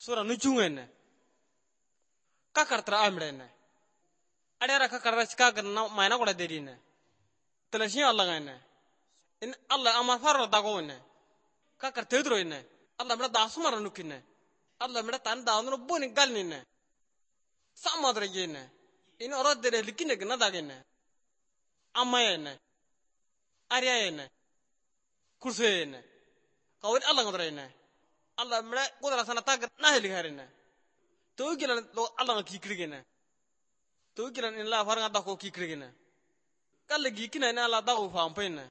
Sura nuchungene. Kakartra amrene. Adera kakarra chikagar na mayna koda derine. Telashin Allah gane. In Allah amar farro dagone. Kakar tedroine. Allah mera dasumara nukine. Allah mera tan daunu boni galnine. Samadra yene. In orodere likine gna dagene. Amayene. Ariyayene. Kursuyene. Kawin Allah ngodrene. Allah mera kodra sana tag naheli harine. Togilan lo Allah kikrigene. Togilan in la faranga dako kikrigene. Kalle gikina in Allah dago fampene.